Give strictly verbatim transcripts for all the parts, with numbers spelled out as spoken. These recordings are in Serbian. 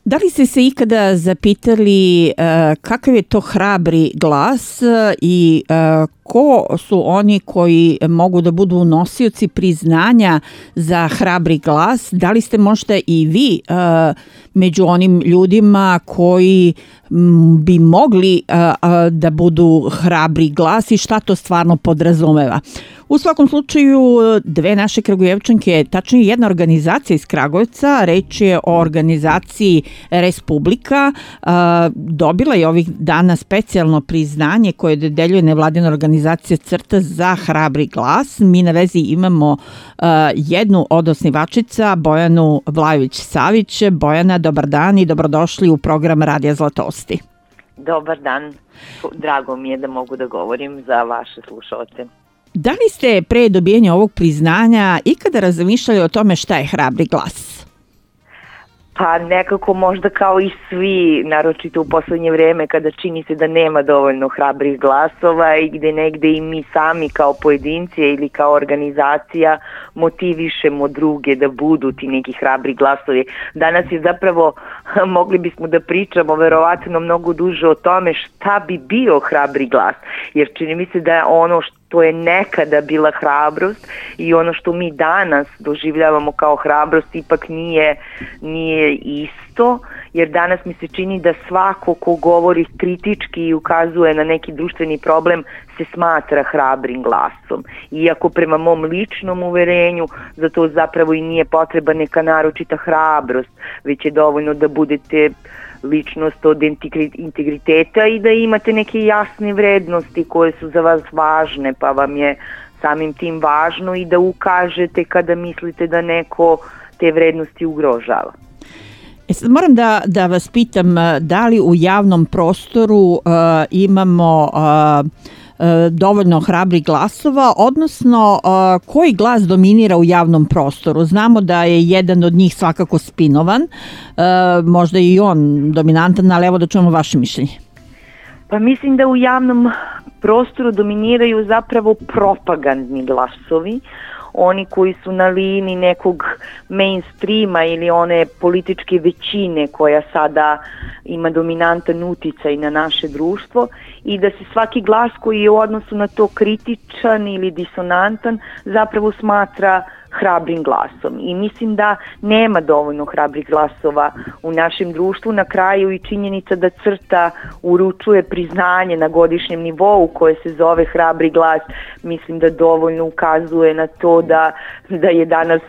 Da li ste se ikada zapitali uh, kakav je to hrabri glas i uh, ko su oni koji mogu da budu nosioci priznanja za hrabri glas? Da li ste možda i vi uh, među onim ljudima koji m, bi mogli uh, uh, da budu hrabri glas i šta to stvarno podrazumeva? U svakom slučaju, dve naše Kragujevčanke, tačnije jedna organizacija iz Kragujevca, reč je o organizaciji Respublika, dobila je ovih dana specijalno priznanje koje dodeljuje nevladina organizacija Crta za hrabri glas. Mi na vezi imamo jednu od osnivačica, Bojanu Vlajović-Savić. Bojana, dobar dan i dobrodošli u program Radija Zlatosti. Dobar dan, drago mi je da mogu da govorim za vaše slušalce. Da li ste pre dobijanja ovog priznanja ikada razmišljali o tome šta je hrabri glas? Pa nekako možda kao i svi, naročito u poslednje vreme kada čini se da nema dovoljno hrabrih glasova i gde negde i mi sami kao pojedinci ili kao organizacija motivišemo druge da budu ti neki hrabri glasovi. Danas je zapravo, mogli bismo da pričamo verovatno mnogo duže o tome šta bi bio hrabri glas, jer čini mi se da ono što to je nekada bila hrabrost i ono što mi danas doživljavamo kao hrabrost ipak nije, nije isto, jer danas mi se čini da svako ko govori kritički i ukazuje na neki društveni problem se smatra hrabrim glasom. Iako prema mom ličnom uverenju za to zapravo i nije potreba neka naročita hrabrost, već je dovoljno da budete ličnost od integriteta i da imate neke jasne vrednosti koje su za vas važne, pa vam je samim tim važno i da ukažete kada mislite da neko te vrednosti ugrožava. E sad moram da, da vas pitam, da li u javnom prostoru uh, imamo uh, dovoljno hrabrih glasova, odnosno koji glas dominira u javnom prostoru? Znamo da je jedan od njih svakako spinovan, možda i on dominantan, ali evo da čujemo vaše mišljenje. Pa mislim da u javnom prostoru dominiraju zapravo propagandni glasovi, oni koji su na liniji nekog mainstreama ili one političke većine koja sada ima dominantan uticaj na naše društvo i da se svaki glas koji je u odnosu na to kritičan ili disonantan zapravo smatra hrabrim glasom. I mislim da nema dovoljno hrabrih glasova u našem društvu. Na kraju i činjenica da Crta uručuje priznanje na godišnjem nivou koje se zove hrabri glas, mislim da dovoljno ukazuje na to da, da je danas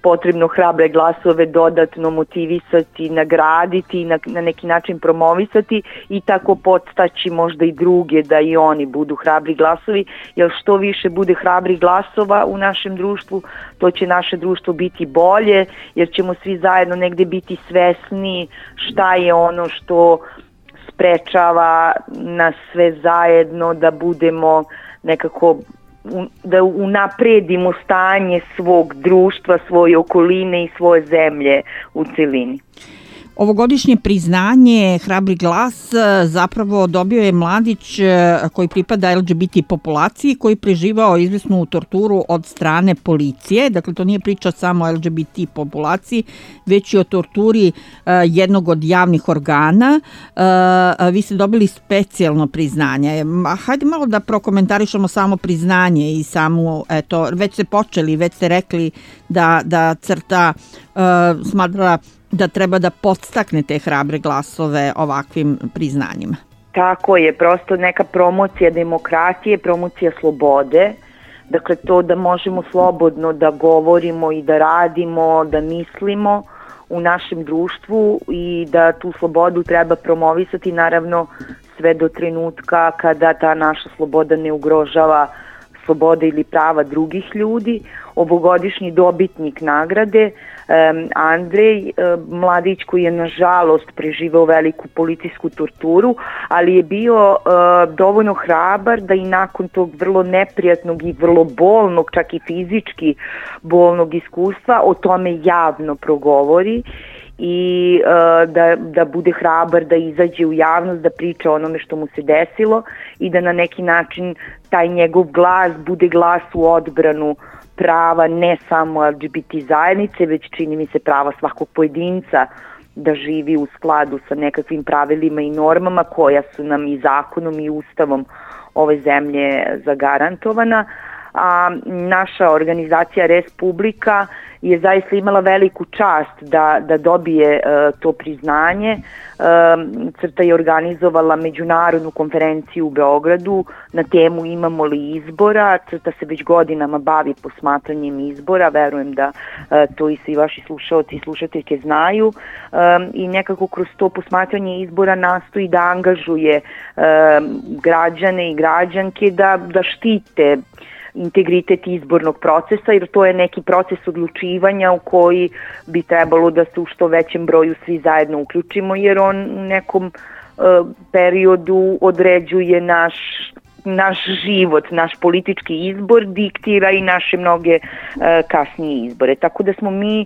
potrebno hrabre glasove dodatno motivisati, nagraditi i na, na neki način promovisati i tako podstaći možda i druge da i oni budu hrabri glasovi, jer što više bude hrabrih glasova u našem društvu, to će naše društvo biti bolje, jer ćemo svi zajedno negde biti svesni šta je ono što sprečava nas sve zajedno da budemo nekako, da unapredimo stanje svog društva, svoje okoline i svoje zemlje u celini. Ovogodišnje priznanje Hrabri glas zapravo dobio je mladić koji pripada el ge be te populaciji, koji preživao izvesnu torturu od strane policije. Dakle, to nije priča samo o el ge be te populaciji, već i o torturi jednog od javnih organa. Vi ste dobili specijalno priznanje. Hajde malo da prokomentarišemo samo priznanje i samo, eto, već ste počeli, već ste rekli da, da Crta uh, smatra da treba da podstakne te hrabre glasove ovakvim priznanjima. Tako je, prosto neka promocija demokratije, promocija slobode, dakle to da možemo slobodno da govorimo i da radimo, da mislimo u našem društvu i da tu slobodu treba promovisati naravno sve do trenutka kada ta naša sloboda ne ugrožava slobode ili prava drugih ljudi. Ovogodišnji dobitnik nagrade um, Andrej, um, mladić koji je nažalost preživeo veliku policijsku torturu, ali je bio uh, dovoljno hrabar da i nakon tog vrlo neprijatnog i vrlo bolnog, čak i fizički bolnog iskustva o tome javno progovori i uh, da, da bude hrabar, da izađe u javnost, da priča o onome što mu se desilo i da na neki način taj njegov glas bude glas u odbranu prava ne samo el ge be te zajednice, već čini mi se prava svakog pojedinca da živi u skladu sa nekakvim pravilima i normama koja su nam i zakonom i ustavom ove zemlje zagarantovana. A naša organizacija Respublika je zaista imala veliku čast da, da dobije uh, to priznanje. Uh, Crta je organizovala međunarodnu konferenciju u Beogradu na temu Imamo li izbora. Crta se već godinama bavi posmatranjem izbora, verujem da uh, to i svi vaši slušaoci i slušateljke znaju, um, i nekako kroz to posmatranje izbora nastoji da angažuje um, građane i građanke da, da štite integritet izbornog procesa, jer to je neki proces odlučivanja u koji bi trebalo da se u što većem broju svi zajedno uključimo, jer on u nekom uh, periodu određuje naš naš život, naš politički izbor, diktira i naše mnoge uh, kasnije izbore. Tako da smo mi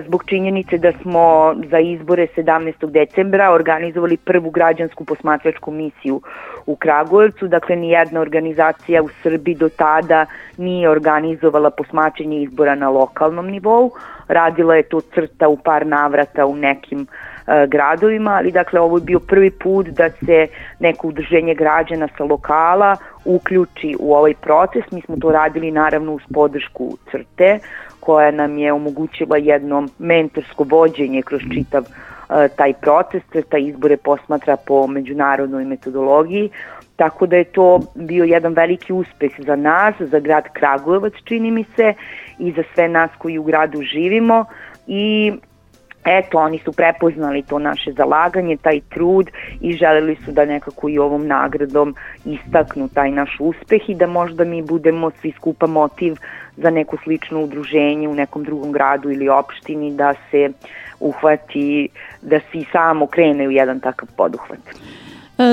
zbog činjenice da smo za izbore sedamnaestog decembra organizovali prvu građansku posmatračku misiju u Kragujevcu. Dakle, nijedna organizacija u Srbiji do tada nije organizovala posmatranje izbora na lokalnom nivou. Radila je to Crta u par navrata u nekim uh, gradovima, ali dakle ovo je bio prvi put da se neko udruženje građana sa lokala uključi u ovaj proces. Mi smo to radili naravno uz podršku Crte, koja nam je omogućila jedno mentorsko vođenje kroz čitav uh, taj proces. Crta izbore posmatra po međunarodnoj metodologiji, tako da je to bio jedan veliki uspeh za nas, za grad Kragujevac, čini mi se, i za sve nas koji u gradu živimo. I eto, oni su prepoznali to naše zalaganje, taj trud, i želeli su da nekako i ovom nagradom istaknu taj naš uspeh i da možda mi budemo svi skupa motiv za neko slično udruženje u nekom drugom gradu ili opštini da se uhvati, da se i samo krene u jedan takav poduhvat.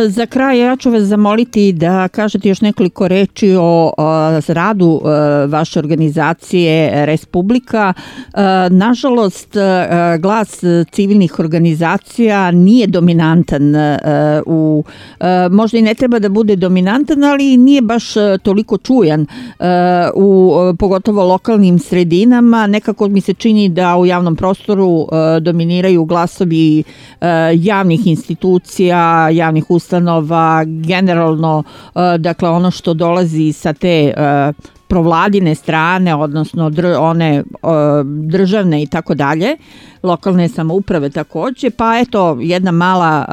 Za kraj ja ću vas zamoliti da kažete još nekoliko reči o, o radu vaše organizacije Respublika. Nažalost, glas civilnih organizacija nije dominantan u, možda i ne treba da bude dominantan, ali nije baš toliko čujan u pogotovo lokalnim sredinama. Nekako mi se čini da u javnom prostoru dominiraju glasovi javnih institucija, javnih ustanova, generalno, dakle, ono što dolazi sa te provladine strane, odnosno dr, one državne i tako dalje, lokalne samouprave takođe, pa eto, jedna mala,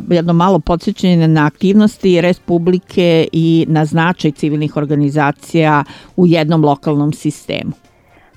jedno malo podsjećanje na aktivnosti Respublike i na značaj civilnih organizacija u jednom lokalnom sistemu.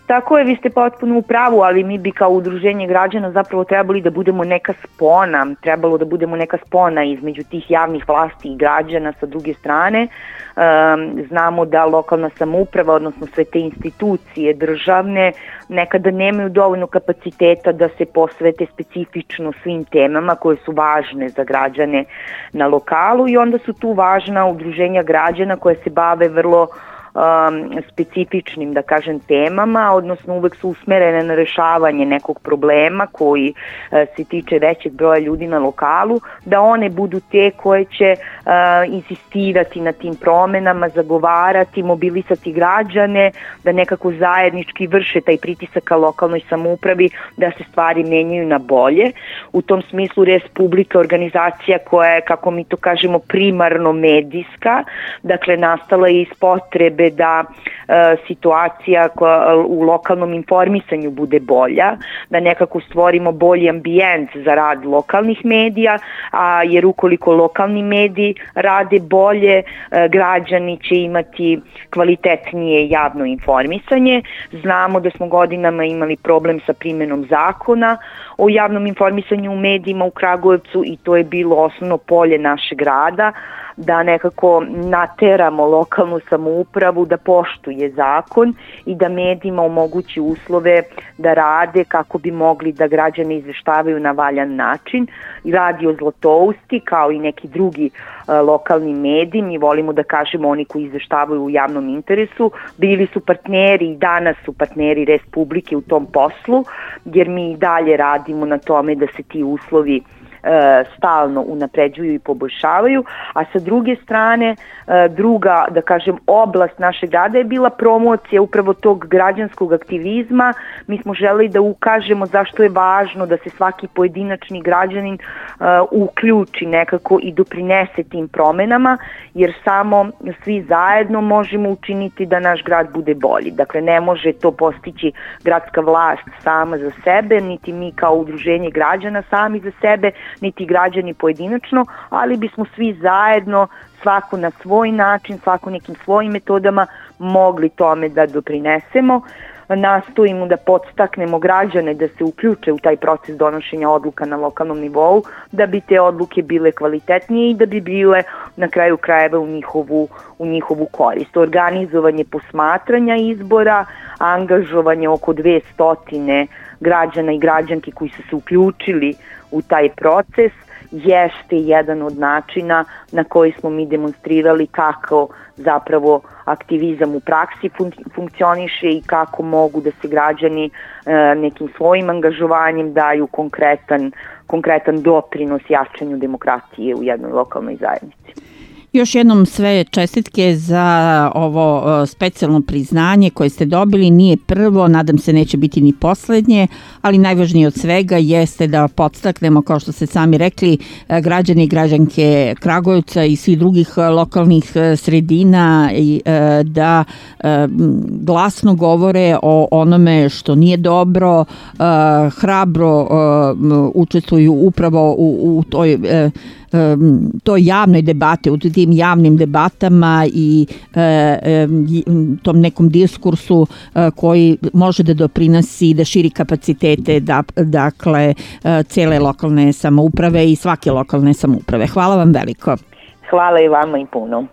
Tako je, vi ste potpuno u pravu, ali mi bi kao udruženje građana zapravo trebali da budemo neka spona, trebalo da budemo neka spona između tih javnih vlasti i građana sa druge strane. Um, znamo da lokalna samouprava, odnosno sve te institucije državne, nekada nemaju dovoljno kapaciteta da se posvete specifično svim temama koje su važne za građane na lokalu, i onda su tu važna udruženja građana koje se bave vrlo Um, specifičnim, da kažem, temama, odnosno uvek su usmerene na rešavanje nekog problema koji uh, se tiče većeg broja ljudi na lokalu, da one budu te koje će uh, insistirati na tim promenama, zagovarati, mobilisati građane, da nekako zajednički vrše taj pritisak ka lokalnoj samoupravi da se stvari menjaju na bolje. U tom smislu Respublika organizacija koja je, kako mi to kažemo, primarno medijska, dakle nastala je iz potrebe da e, situacija koja, u lokalnom informisanju bude bolja, da nekako stvorimo bolji ambijent za rad lokalnih medija, a jer ukoliko lokalni mediji rade bolje, e, građani će imati kvalitetnije javno informisanje. Znamo da smo godinama imali problem sa primenom zakona o javnom informisanju u medijima u Kragujevcu, i to je bilo osnovno polje našeg rada, da nekako nateramo lokalnu samoupravu da poštuje zakon i da medijima omogući uslove da rade kako bi mogli da građane izveštavaju na valjan način. I Radio Zlatousti, kao i neki drugi uh, lokalni mediji, mi volimo da kažemo oni koji izveštavaju u javnom interesu, bili su partneri i danas su partneri Respublike u tom poslu, jer mi i dalje radimo na tome da se ti uslovi stalno unapređuju i poboljšavaju, a sa druge strane druga, da kažem, oblast našeg rada je bila promocija upravo tog građanskog aktivizma. Mi smo želeli da ukažemo zašto je važno da se svaki pojedinačni građanin uključi nekako i doprinese tim promenama, jer samo svi zajedno možemo učiniti da naš grad bude bolji. Dakle, ne može to postići gradska vlast sama za sebe, niti mi kao udruženje građana sami za sebe, niti građani pojedinačno, ali bismo svi zajedno, svako na svoj način, svako nekim svojim metodama mogli tome da doprinesemo. Nastojimo da podstaknemo građane da se uključe u taj proces donošenja odluka na lokalnom nivou, da bi te odluke bile kvalitetnije i da bi bile na kraju krajeva u njihovu, u njihovu korist. Organizovanje posmatranja izbora, angažovanje oko dve stotine građana i građanki koji su se uključili u taj proces jeste jedan od načina na koji smo mi demonstrirali kako zapravo aktivizam u praksi fun- funkcioniše i kako mogu da se građani e, nekim svojim angažovanjem daju konkretan, konkretan doprinos jačanju demokratije u jednoj lokalnoj zajednici. Još jednom sve čestitke za ovo specijalno priznanje koje ste dobili. Nije prvo, nadam se neće biti ni poslednje, ali najvažnije od svega jeste da podstaknemo, kao što ste sami rekli, građani i građanke Kragujevca i svih drugih lokalnih sredina da glasno govore o onome što nije dobro, hrabro učestvuju upravo u, u toj toj javnoj debate, u tim javnim debatama i e, tom nekom diskursu e, koji može da doprinosi, da širi kapacitete da, dakle, e, cele lokalne samouprave i svake lokalne samouprave. Hvala vam veliko. Hvala i vama i puno.